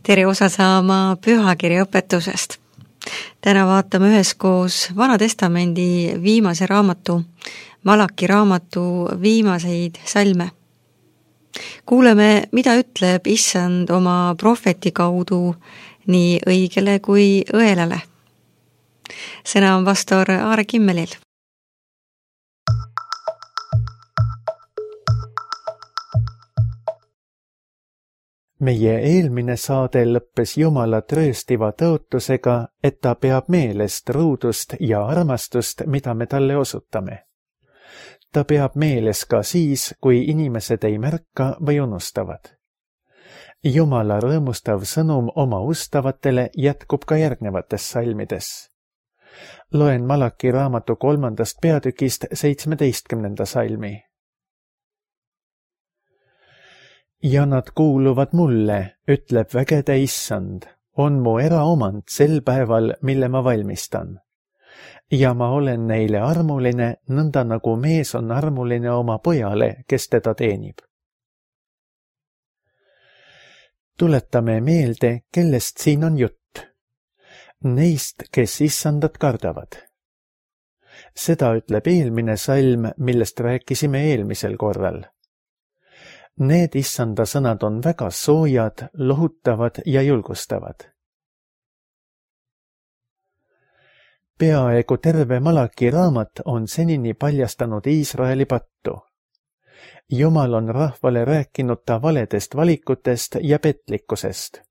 tere osa saama pühakirja õpetusest. Täna vaatame üheskoos Vana Testamendi viimase raamatu, Malaki raamatu viimaseid salme. Kuuleme, mida ütleb Issand oma prohveti kaudu nii õigele kui õelale. Sõna on pastor Aare Kimmelil. Meie eelmine saade lõppes Jumala trööstiva tõotusega, et ta peab meelest ruudust ja armastust, mida me talle osutame. Ta peab meeles ka siis, kui inimesed ei märka või unustavad. Jumala rõõmustav sõnum oma ustavatele jätkub ka järgnevates salmides. Loen Malaki raamatu 3. peatükist 17. salmi. Ja nad kuuluvad mulle, ütleb vägede Issand, on mu eraomand sel päeval, mille ma valmistan. Ja ma olen neile armuline, nõnda nagu mees on armuline oma pojale, kes teda teenib. Tuletame meelde, kellest siin on jutt. Neist, kes Issandat kardavad. Seda ütleb eelmine salm, millest rääkisime eelmisel korral. Need Issanda sõnad on väga soojad, lohutavad ja julgustavad. Peaaegu terve Malaki raamat on senini paljastanud Iisraeli pattu. Jumal on rahvale rääkinud ta valedest valikutest ja petlikkusest.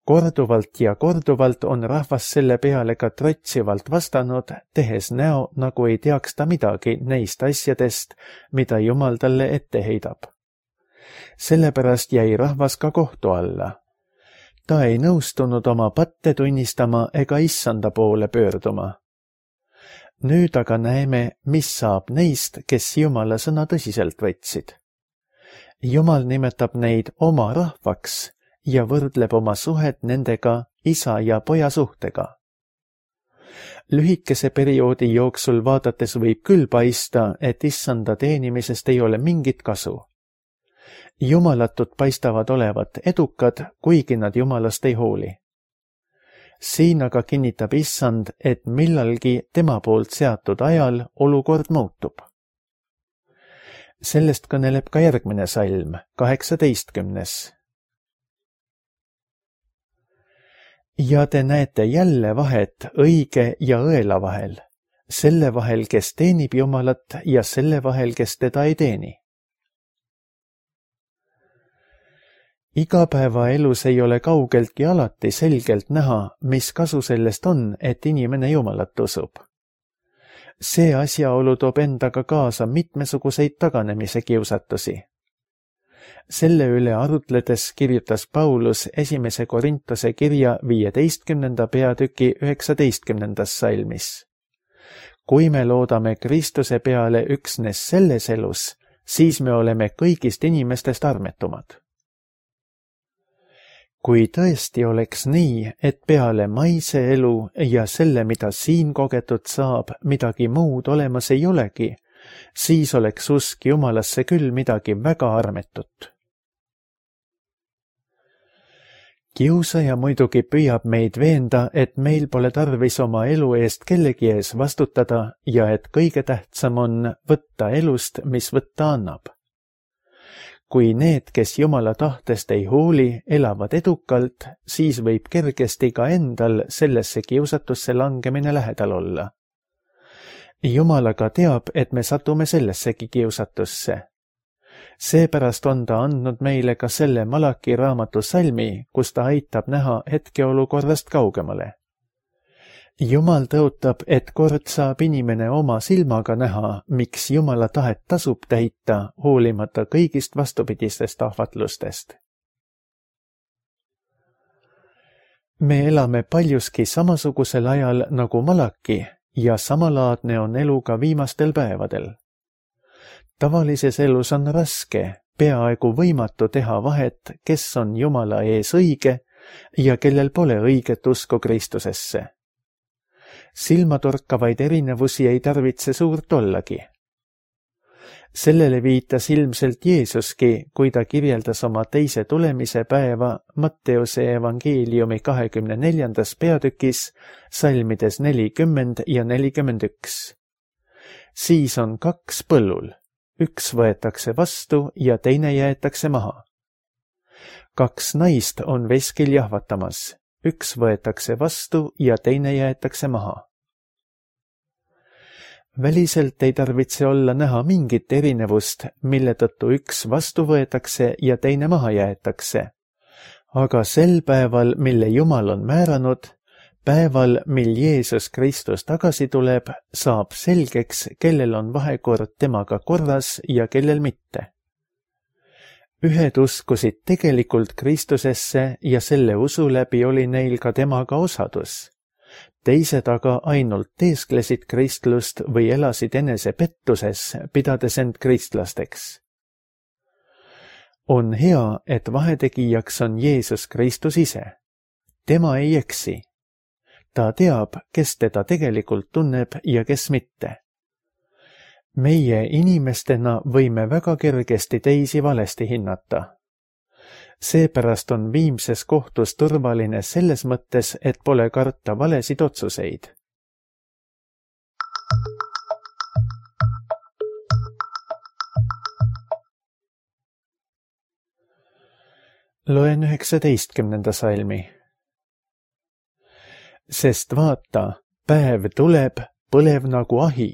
Korduvalt ja korduvalt on rahvas selle peale ka trotsivalt vastanud, tehes näo, nagu ei teaks ta midagi neist asjadest, mida Jumal talle ette heidab. Sellepärast jäi rahvas ka kohtu alla. Ta ei nõustunud oma patte tunnistama ega Issanda poole pöörduma. Nüüd aga näeme, mis saab neist, kes Jumala sõna tõsiselt võtsid. Jumal nimetab neid oma rahvaks ja võrdleb oma suhet nendega isa ja poja suhtega. Lühikese perioodi jooksul vaadates võib küll paista, et Issanda teenimisest ei ole mingit kasu. Jumalatud paistavad olevat edukad, kuigi nad Jumalast ei hooli. Siin aga kinnitab Issand, et millalgi tema poolt seatud ajal olukord muutub. Sellest kõneleb ka järgmine salm, 18. Ja te näete jälle vahet õige ja õela vahel, selle vahel, kes teenib Jumalat ja selle vahel, kes teda ei teeni. Igapäevaelus ei ole kaugeltki alati selgelt näha, mis kasu sellest on, et inimene Jumalat usub. See asjaolu toob endaga kaasa mitmesuguseid taganemise kiusatusi. Selle üle arutledes kirjutas Paulus 1. Korintuse kirja 15. peatüki 19. salmis. Kui me loodame Kristuse peale üksnes selles elus, siis me oleme kõigist inimestest armetumad. Kui tõesti oleks nii, et peale maise elu ja selle, mida siin kogetud saab, midagi muud olemas ei olegi, siis oleks usk Jumalasse küll midagi väga armetut. Kiusaja muidugi püüab meid veenda, et meil pole tarvis oma elu eest kellegi ees vastutada ja et kõige tähtsam on võtta elust, mis võtta annab. Kui need, kes Jumala tahtest ei hooli, elavad edukalt, siis võib kergesti ka endal sellesse kiusatusse langemine lähedal olla. Jumal aga teab, et me satume sellessegi kiusatusse. Seepärast on ta andnud meile ka selle Malaki raamatu salmi, kus ta aitab näha hetkeolukorrast kaugemale. Jumal tõotab, et kord saab inimene oma silmaga näha, miks Jumala tahet tasub täita, hoolimata kõigist vastupidistest ahvatlustest. Me elame paljuski samasugusel ajal nagu Malaki ja samalaadne on elu ka viimastel päevadel. Tavalises elus on raske, peaaegu võimatu teha vahet, kes on Jumala ees õige ja kellel pole õiget usku Kristusesse. Silmatorkavaid erinevusi ei tarvitse suurt ollagi. Sellele viitas ilmselt Jeesuski, kui ta kirjeldas oma teise tulemise päeva Matteuse evangeeliumi 24. peatükis salmides 40 ja 41. Siis on 2 põllul, üks võetakse vastu ja teine jäetakse maha. 2 naist on veskil jahvatamas, üks võetakse vastu ja teine jäetakse maha. Väliselt ei tarvitse olla näha mingit erinevust, mille tõttu üks vastu võetakse ja teine maha jäetakse. Aga sel päeval, mille Jumal on määranud, päeval, mil Jeesus Kristus tagasi tuleb, saab selgeks, kellel on vahekord temaga korras ja kellel mitte. Ühed uskusid tegelikult Kristusesse ja selle usu läbi oli neil ka temaga osadus. Teised aga ainult teesklesid kristlust või elasid enese pettuses, pidades end kristlasteks. On hea, et vahetegijaks on Jeesus Kristus ise. Tema ei eksi. Ta teab, kes teda tegelikult tunneb ja kes mitte. Meie inimestena võime väga kergesti teisi valesti hinnata. Seepärast on viimses kohtus turvaline selles mõttes, et pole karta valesid otsuseid. Loen 19. salmi. Sest vaata, päev tuleb, põlev nagu ahi,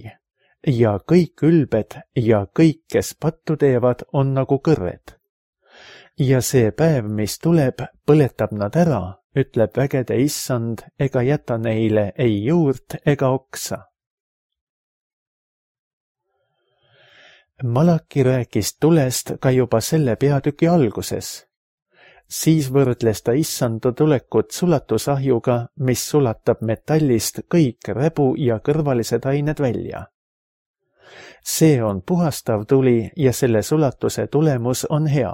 ja kõik ülbed ja kõik, kes pattu teevad, on nagu kõrred. Ja see päev, mis tuleb, põletab nad ära, ütleb vägede issand, ega jäta neile ei juurt ega oksa. Malaki rääkis tulest ka juba selle peatüki alguses. Siis võrdles ta issanda tulekut sulatusahjuga, mis sulatab metallist kõik räbu ja kõrvalised ained välja. See on puhastav tuli ja selle sulatuse tulemus on hea.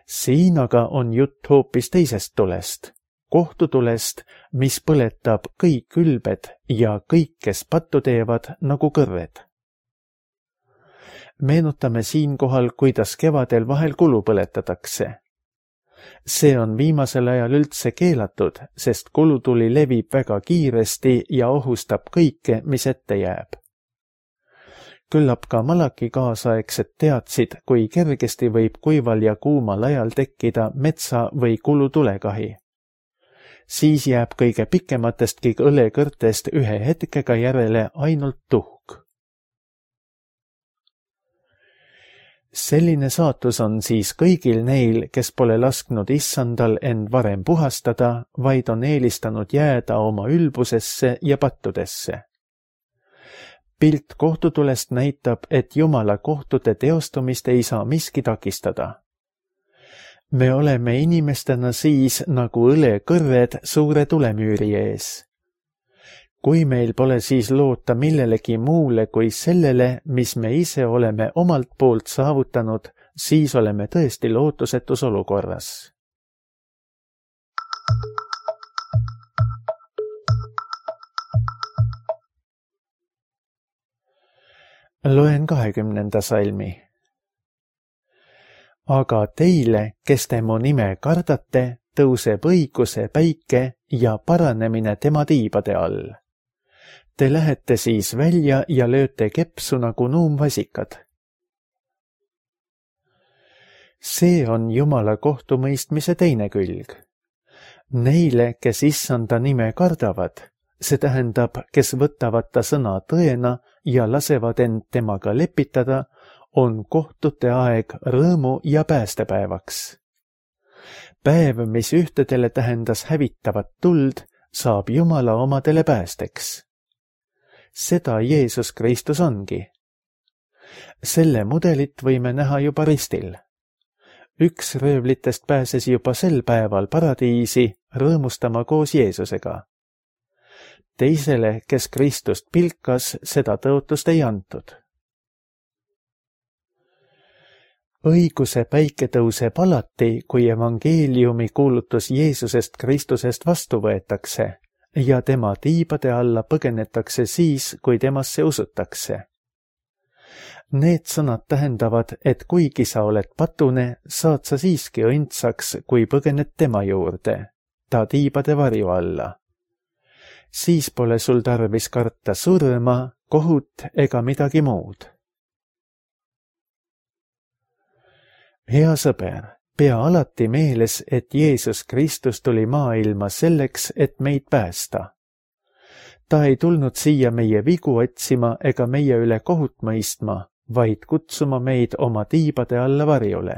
Siin aga on jutt hoopis teisest tulest, kohtutulest, mis põletab kõik ülbed ja kõik, kes pattu teevad, nagu kõrred. Meenutame siinkohal, kuidas kevadel vahel kulu põletatakse. See on viimasel ajal üldse keelatud, sest kulutuli levib väga kiiresti ja ohustab kõike, mis ette jääb. Küllap ka Malaki kaasaegsed teadsid, kui kergesti võib kuival ja kuumal ajal tekkida metsa- või kulutulekahi. Siis jääb kõige pikematestki õlekõrtest ühe hetkega järele ainult tuhk. Selline saatus on siis kõigil neil, kes pole lasknud issandal end varem puhastada, vaid on eelistanud jääda oma ülbusesse ja pattudesse. Pilt kohtutulest näitab, et Jumala kohtute teostumist ei saa miski takistada. Me oleme inimestena siis nagu õlekõrred suure tulemüüri ees. Kui meil pole siis loota millelegi muule kui sellele, mis me ise oleme omalt poolt saavutanud, siis oleme tõesti lootusetus olukorras. Loen 20. salmi. Aga teile, kes te mu nime kardate, tõuseb õiguse päike ja paranemine tema tiibade all. Te lähete siis välja ja lööte kepsu nagu nuumvasikad. See on Jumala kohtumõistmise teine külg. Neile, kes issanda nime kardavad, see tähendab, kes võtavad ta sõna tõena ja lasevad end temaga lepitada, on kohtute aeg rõõmu ja päästepäevaks. Päev, mis ühtedele tähendas hävitavat tuld, saab Jumala omadele päästeks. Seda Jeesus Kristus ongi. Selle mudelit võime näha juba ristil. Üks röövlitest pääses juba sel päeval paradiisi rõõmustama koos Jeesusega. Teisele, kes Kristust pilkas, seda tõotust ei antud. Õiguse päike tõuseb alati, kui evangeeliumi kuulutus Jeesusest Kristusest vastu võetakse ja tema tiibade alla põgenetakse siis, kui temasse usutakse. Need sõnad tähendavad, et kuigi sa oled patune, saad sa siiski õndsaks, kui põgened tema juurde, ta tiibade varju alla. Siis pole sul tarvis karta surma, kohut ega midagi muud. Hea sõber, pea alati meeles, et Jeesus Kristus tuli maailma selleks, et meid päästa. Ta ei tulnud siia meie vigu otsima ega meie üle kohut mõistma, vaid kutsuma meid oma tiibade alla varjule.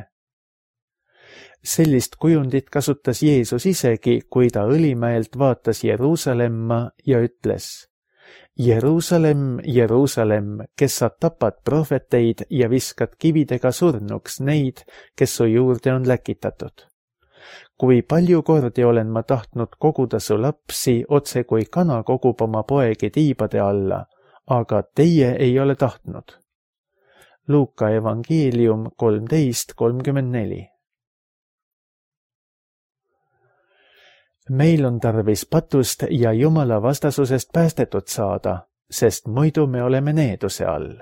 Sellist kujundit kasutas Jeesus isegi, kui ta Õlimäelt vaatas Jeruusalemma ja ütles: Jeruusalemm, Jeruusalemm, kes sa tapad prohveteid ja viskad kividega surnuks neid, kes su juurde on läkitatud. Kui palju kordi olen ma tahtnud koguda su lapsi, otse kui kana kogub oma poegi tiibade alla, aga teie ei ole tahtnud. Luuka evangeelium 13:34. Meil on tarvis patust ja Jumala vastasusest päästetud saada, sest muidu me oleme needuse all.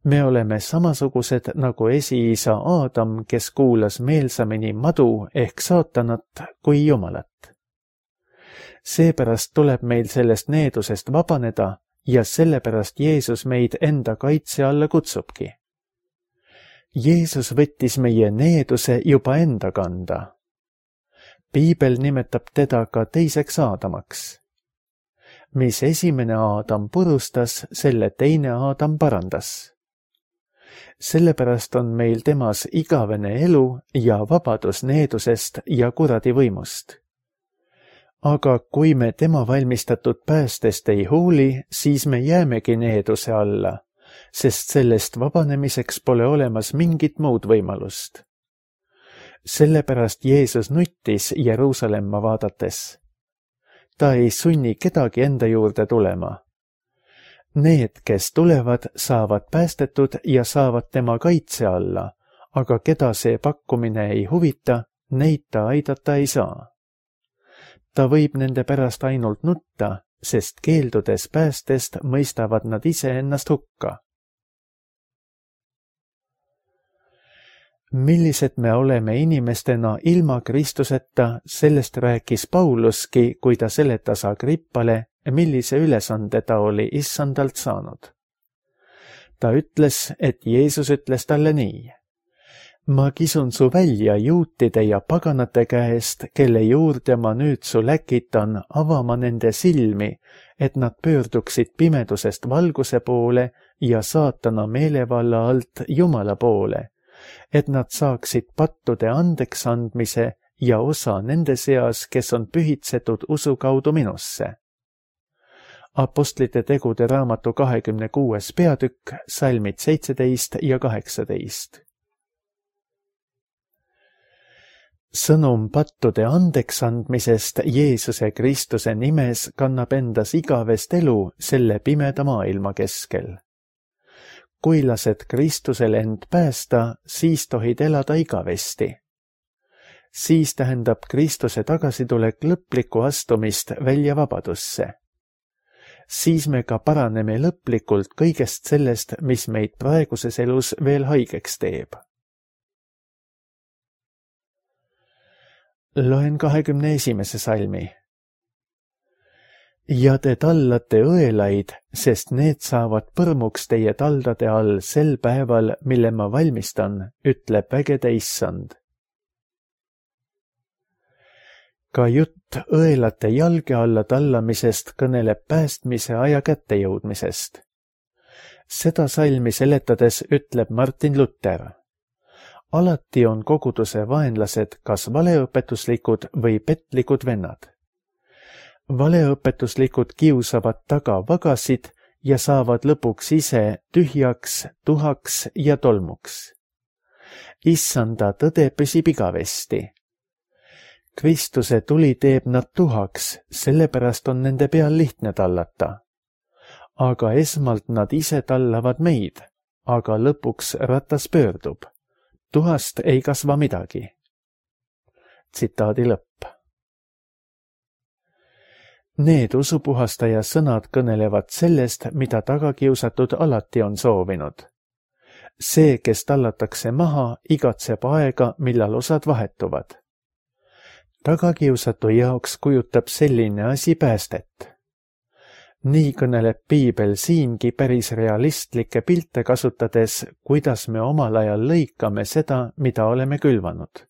Me oleme samasugused nagu esiisa Aadam, kes kuulas meelsamini madu ehk saatanat kui Jumalat. Seepärast tuleb meil sellest needusest vabaneda ja sellepärast Jeesus meid enda kaitse alla kutsubki. Jeesus võttis meie needuse juba enda kanda. Piibel nimetab teda ka teiseks Aadamaks. Mis esimene Aadam purustas, selle teine Aadam parandas. Sellepärast on meil temas igavene elu ja vabadus needusest ja kuradi võimust. Aga kui me tema valmistatud päästest ei hooli, siis me jäämegi needuse alla, sest sellest vabanemiseks pole olemas mingit muud võimalust. Sellepärast Jeesus nuttis Jeruusalemma vaadates. Ta ei sunni kedagi enda juurde tulema. Need, kes tulevad, saavad päästetud ja saavad tema kaitse alla, aga keda see pakkumine ei huvita, neid ta aidata ei saa. Ta võib nende pärast ainult nutta, sest keeldudes päästest mõistavad nad ise ennast hukka. Millised me oleme inimestena ilma Kristuseta, sellest rääkis Pauluski, kui ta seletas Agrippale, millise ülesande ta oli issandalt saanud. Ta ütles, et Jeesus ütles talle nii: Ma kisun su välja juutide ja paganate käest, kelle juurde ma nüüd su läkitan, avama nende silmi, et nad pöörduksid pimedusest valguse poole ja saatana meelevalla alt Jumala poole, et nad saaksid pattude andeks andmise ja osa nende seas, kes on pühitsetud usu kaudu minusse. Apostlite tegude raamatu 26. peatükk, salmid 17 ja 18. Sõnum pattude andeks andmisest Jeesuse Kristuse nimes kannab endas igavest elu selle pimeda maailma keskel. Kui lased Kristusel end päästa, siis tohid elada igavesti. Siis tähendab Kristuse tagasitulek lõplikku astumist välja vabadusse. Siis me ka paraneme lõplikult kõigest sellest, mis meid praeguses elus veel haigeks teeb. Loen 21. salmi. Ja te tallate õelaid, sest need saavad põrmuks teie taldade all sel päeval, mille ma valmistan, ütleb vägede issand. Ka jutt õelate jalge alla tallamisest kõneleb päästmise aja kättejõudmisest. Seda salmi seletades ütleb Martin Luther: alati on koguduse vaenlased kas valeõpetuslikud või petlikud vennad. Valeõpetuslikud kiusavad taga vagasid ja saavad lõpuks ise tühjaks, tuhaks ja tolmuks. Issanda tõde püsib igavesti. Kristuse tuli teeb nad tuhaks, sellepärast on nende peal lihtne tallata. Aga esmalt nad ise tallavad meid, aga lõpuks ratas pöördub. Tuhast ei kasva midagi. Tsitaadi lõpp. Need usupuhastaja sõnad kõnelevad sellest, mida tagakiusatud alati on soovinud. See, kes tallatakse maha, igatseb aega, millal osad vahetuvad. Tagakiusatu jaoks kujutab selline asi päästet. Nii kõneleb Piibel siingi päris realistlikke pilte kasutades, kuidas me omal ajal lõikame seda, mida oleme külvanud.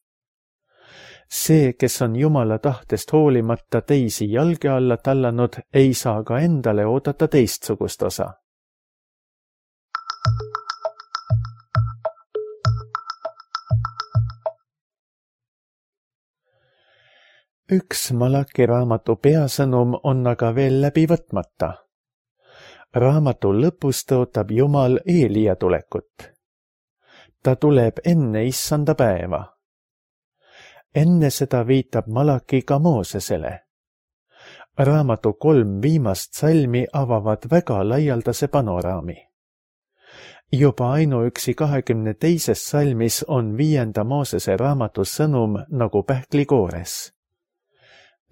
See, kes on Jumala tahtest hoolimata teisi jalge alla tallanud, ei saa ka endale oodata teistsugust osa. Üks Malaki raamatu peasõnum on aga veel läbi võtmata. Raamatu lõpus tõotab Jumal Eelia tulekut. Ta tuleb enne issanda päeva. Enne seda viitab Malaki ka Moosesele. Raamatu 3 viimast salmi avavad väga laialdase panoraami. Juba ainuüksi 22. salmis on 5. Moosese raamatu sõnum nagu pähklikoores.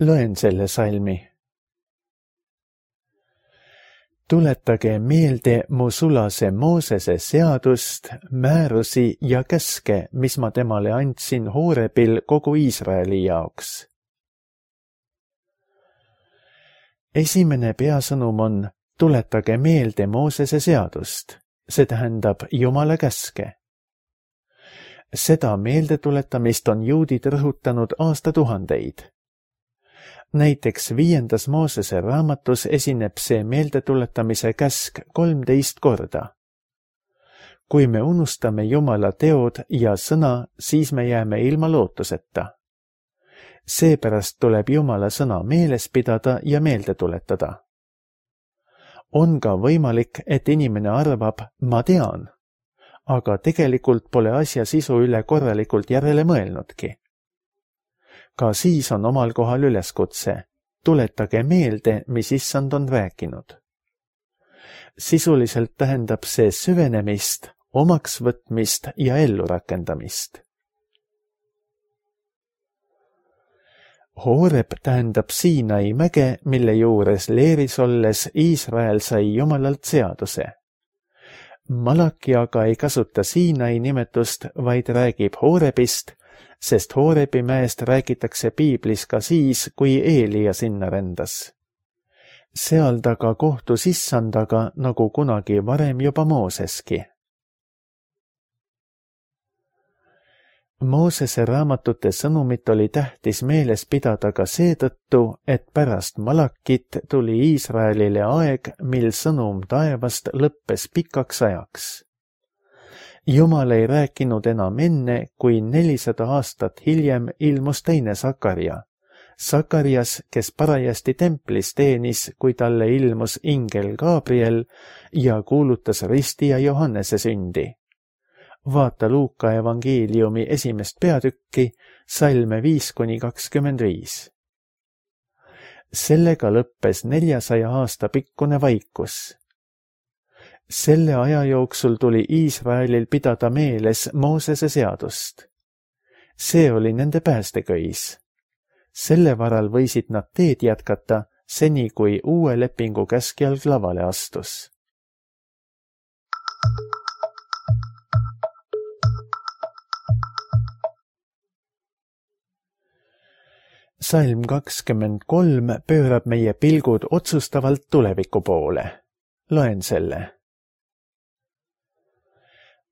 Loen selle salmi. Tuletage meelde mu sulase Moosese seadust, määrusi ja käske, mis ma temale andsin Hoorebil kogu Iisraeli jaoks. Esimene peasõnum on, tuletage meelde Moosese seadust, see tähendab Jumala käske. Seda meeldetuletamist on juudid rõhutanud aastatuhandeid. Näiteks 5. Moosese raamatus esineb see meeldetuletamise käsk 13 korda. Kui me unustame Jumala teod ja sõna, siis me jääme ilma lootuseta. Seepärast tuleb Jumala sõna meeles pidada ja meelde tuletada. On ka võimalik, et inimene arvab, ma tean, aga tegelikult pole asja sisu üle korralikult järele mõelnudki. Ka siis on omal kohal üleskutse. Tuletage meelde, mis issand on rääkinud. Sisuliselt tähendab see süvenemist, omaksvõtmist ja ellurakendamist. Hooreb tähendab Siinai mäge, mille juures leeris olles Iisrael sai Jumalalt seaduse. Malaki aga ei kasuta Siinai nimetust, vaid räägib Hoorebist, sest Hoorebi mäest räägitakse Piiblis ka siis, kui Eelia sinna rendas. Seal ta ka kohtus issandaga, nagu kunagi varem juba Mooseski. Moosese raamatute sõnumit oli tähtis meeles pidada ka seetõttu, et pärast Malakit tuli Iisraelile aeg, mil sõnum taevast lõppes pikaks ajaks. Jumal ei rääkinud enam enne, kui 400 aastat hiljem ilmus teine Sakarja. Sakarias, kes parajasti templis teenis, kui talle ilmus ingel Gabriel ja kuulutas risti ja Johannese sündi. Vaata Luuka evangeeliumi 1. peatükki, salme 5-25. Sellega lõppes 400 aasta pikkune vaikus. Selle aja jooksul tuli Iisraelil pidada meeles Moosese seadust. See oli nende päästeköis. Selle varal võisid nad teed jätkata, seni kui uue lepingu käskjalg lavale astus. Salm 23 pöörab meie pilgud otsustavalt tuleviku poole. Loen selle.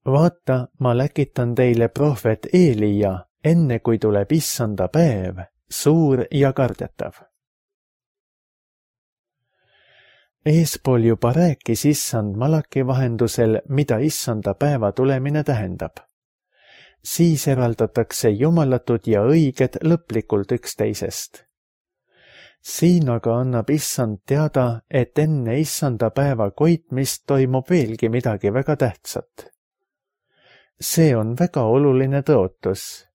Vaata, ma läkitan teile prohvet Eelia, enne kui tuleb issanda päev, suur ja kardetav. Eespool juba rääkis issand Malaki vahendusel, mida issanda päeva tulemine tähendab. Siis eraldatakse jumalatud ja õiged lõplikult üksteisest. Siin aga annab issand teada, et enne issanda päeva koitmist toimub veelgi midagi väga tähtsat. See on väga oluline tõotus.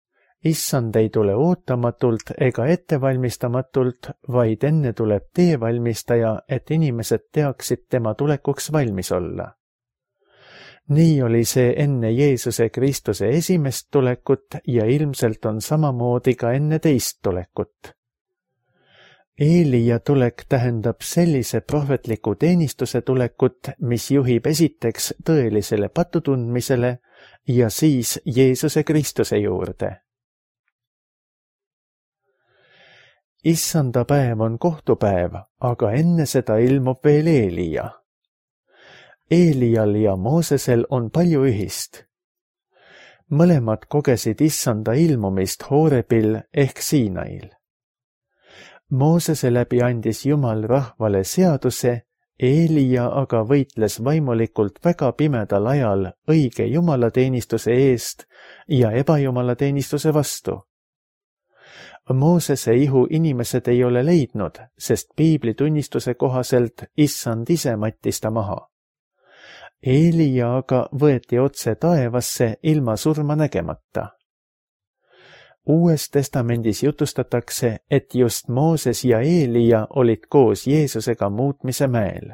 Issand ei tule ootamatult ega ettevalmistamatult, vaid enne tuleb teevalmistaja, et inimesed teaksid tema tulekuks valmis olla. Nii oli see enne Jeesuse Kristuse esimest tulekut ja ilmselt on samamoodi ka enne teist tulekut. Eelia tulek tähendab sellise prohvetliku teenistuse tulekut, mis juhib esiteks tõelisele patutundmisele ja siis Jeesuse Kristuse juurde. Issanda päev on kohtupäev, aga enne seda ilmub veel Eelia. Eelial ja Moosesel on palju ühist. Mõlemad kogesid Issanda ilmumist Hoorebil ehk Siinail. Moosese läbi andis Jumal rahvale seaduse, Eelia aga võitles vaimulikult väga pimedal ajal õige jumalateenistuse eest ja ebajumalateenistuse vastu. Moosese ihu inimesed ei ole leidnud, sest piibli tunnistuse kohaselt Issand ise mattis ta maha. Eelia aga võeti otse taevasse ilma surma nägemata. Uues testamendis jutustatakse, et just Mooses ja Eelia olid koos Jeesusega muutmise mäel.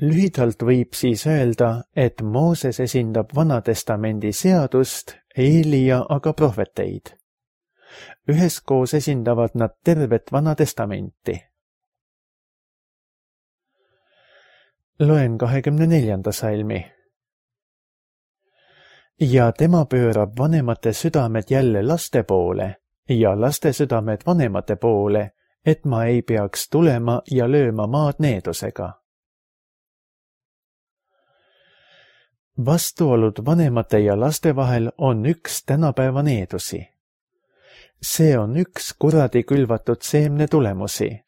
Lühidalt võib siis öelda, et Mooses esindab Vanatestamendi seadust, Eelia aga prohveteid. Üheskoos esindavad nad tervet Vanatestamenti. Loen 24. salmi. Ja tema pöörab vanemate südamed jälle laste poole ja laste südamed vanemate poole, et ma ei peaks tulema ja lööma maad needusega. Vastuolud vanemate ja laste vahel on üks tänapäeva needusi. See on üks kuradi külvatud seemne tulemusi.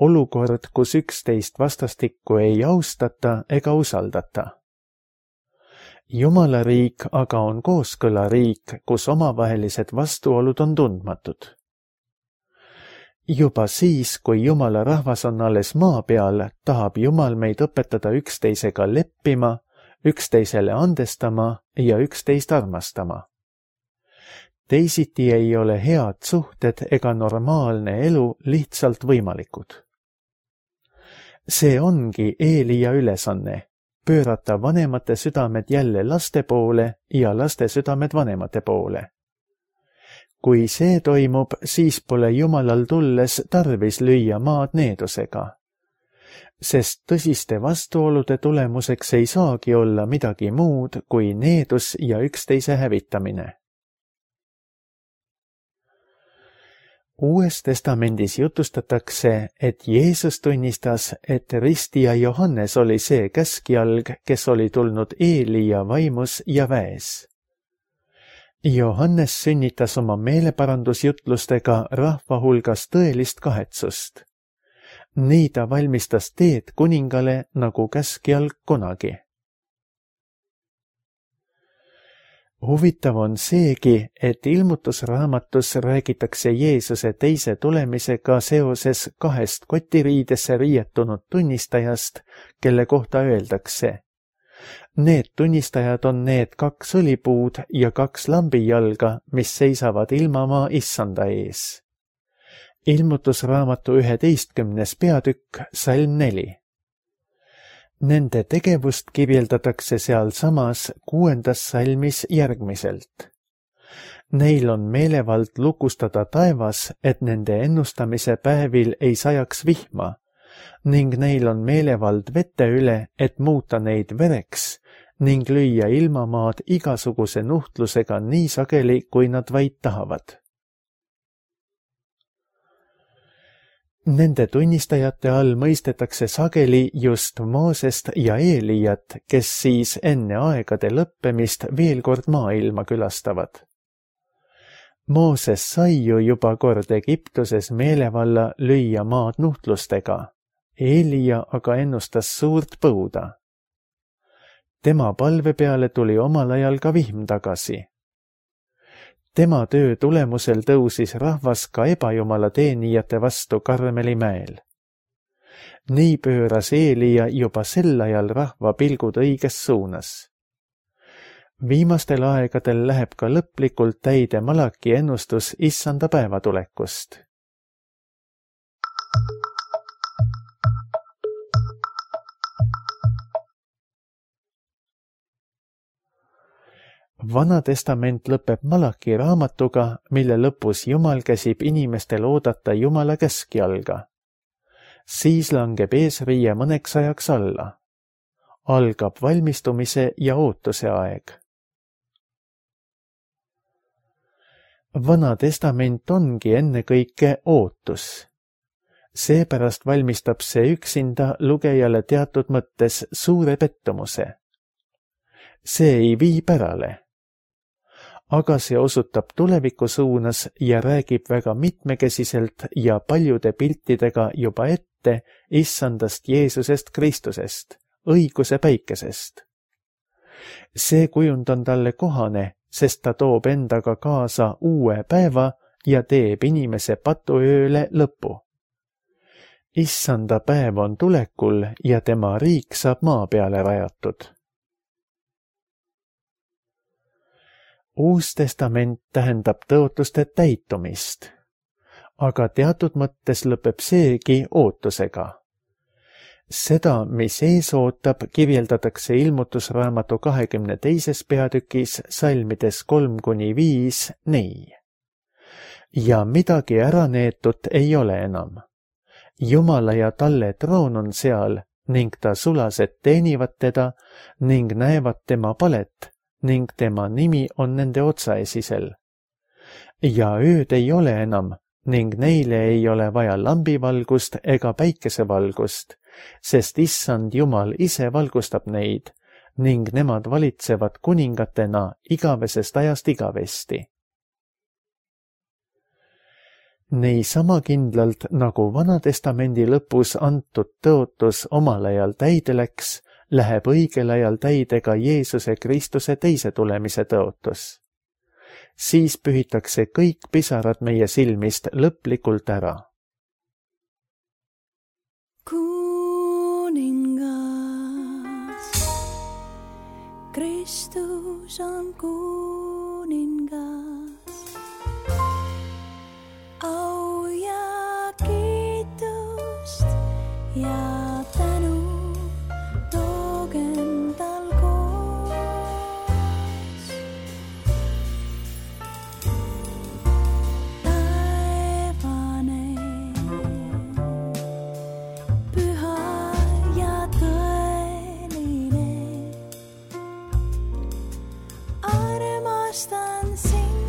Olukord, kus üksteist vastastikku ei austata ega usaldata. Jumala riik aga on kooskõla riik, kus omavahelised vastuolud on tundmatud. Juba siis, kui Jumala rahvas on alles maa peal, tahab Jumal meid õpetada üksteisega leppima, üksteisele andestama ja üksteist armastama. Teisiti ei ole head suhted ega normaalne elu lihtsalt võimalikud. See ongi Eelia ülesanne. Pöörata vanemate südamed jälle laste poole ja laste südamed vanemate poole. Kui see toimub, siis pole Jumalal tulles tarvis lüüa maad needusega. Sest tõsiste vastuolude tulemuseks ei saagi olla midagi muud kui needus ja üksteise hävitamine. Uues testamendis jutustatakse, et Jeesus tunnistas, et ristija Johannes oli see käskjalg, kes oli tulnud Eelia vaimus ja väes. Johannes sünnitas oma meeleparandusjutlustega rahva hulgas tõelist kahetsust. Nii ta valmistas teed kuningale nagu käskjalg kunagi. Huvitav on seegi, et ilmutusraamatus räägitakse Jeesuse teise tulemisega seoses kahest kotiriidesse riietunud tunnistajast, kelle kohta öeldakse. Need tunnistajad on need 2 õlipuud ja 2 lambijalga, mis seisavad ilmamaa issanda ees. Ilmutusraamatu 11. peatükk, salm 4. Nende tegevust kirjeldatakse sealsamas 6. salmis järgmiselt. Neil on meelevald lukustada taevas, et nende ennustamise päevil ei sajaks vihma, ning neil on meelevald vete üle, et muuta neid vereks, ning lüüa ilmamaad igasuguse nuhtlusega nii sageli, kui nad vaid tahavad. Nende tunnistajate all mõistetakse sageli just Moosest ja Eeliat, kes siis enne aegade lõppemist veel kord maailma külastavad. Mooses sai ju juba kord Egiptuses meelevalla lüüa maad nuhtlustega, Eelia aga ennustas suurt põuda. Tema palve peale tuli omal ajal ka vihm tagasi. Tema töö tulemusel tõusis rahvas ka ebajumala teenijate vastu Karmeli mäel. Nii pööras Eelia juba sel ajal rahva pilgud õiges suunas. Viimastel aegadel läheb ka lõplikult täide Malaki ennustus issanda päevatulekust. Vana testament lõpeb Malaki raamatuga, mille lõpus Jumal käsib inimestel oodata Jumala käskjalga. Siis langeb eesriie mõneks ajaks alla. Algab valmistumise ja ootuse aeg. Vana testament ongi ennekõike ootus. Seepärast valmistab see üksinda lugejale teatud mõttes suure pettumuse. See ei vii pärale. Aga see osutab tuleviku suunas ja räägib väga mitmekesiselt ja paljude piltidega juba ette Issandast Jeesusest Kristusest, õiguse päikesest. See kujund on talle kohane, sest ta toob endaga kaasa uue päeva ja teeb inimese patuööle lõpu. Issanda päev on tulekul ja tema riik saab maa peale rajatud. Uus testament tähendab tõotuste täitumist, aga teatud mõttes lõpeb seegi ootusega. Seda, mis ees ootab, kirjeldatakse ilmutusraamatu 22. peatükis salmides 3-5 nii. Ja midagi ära neetut ei ole enam. Jumala ja talle troon on seal ning ta sulased teenivad teda ning näevad tema palet ning tema nimi on nende otsaesisel. Ja ööd ei ole enam ning neile ei ole vaja lambivalgust ega päikesevalgust, sest Issand Jumal ise valgustab neid ning nemad valitsevad kuningatena igavesest ajast igavesti. Nii sama kindlalt, nagu Vana testamendi lõpus antud tõotus omal ajal täide läks, läheb õigel ajal täide ka Jeesuse Kristuse teise tulemise tõotus. Siis pühitakse kõik pisarad meie silmist lõplikult ära. Kuningas, Kristus on kuningas. Au ja kiitust ja tänu toogem tal koos. Taevane, püha ja tõeline, armastan sind.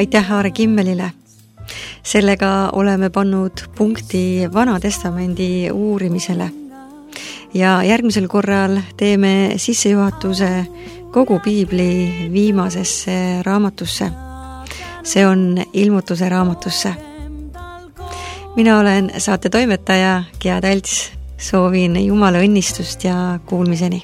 Aitäh Aare Kimmelile! Sellega oleme pannud punkti Vana testamendi uurimisele. Ja järgmisel korral teeme sissejuhatuse kogu piibli viimasesse raamatusse. See on Ilmutuse raamatusse. Mina olen saate toimetaja Gea Talts. Soovin Jumala õnnistust ja kuulmiseni.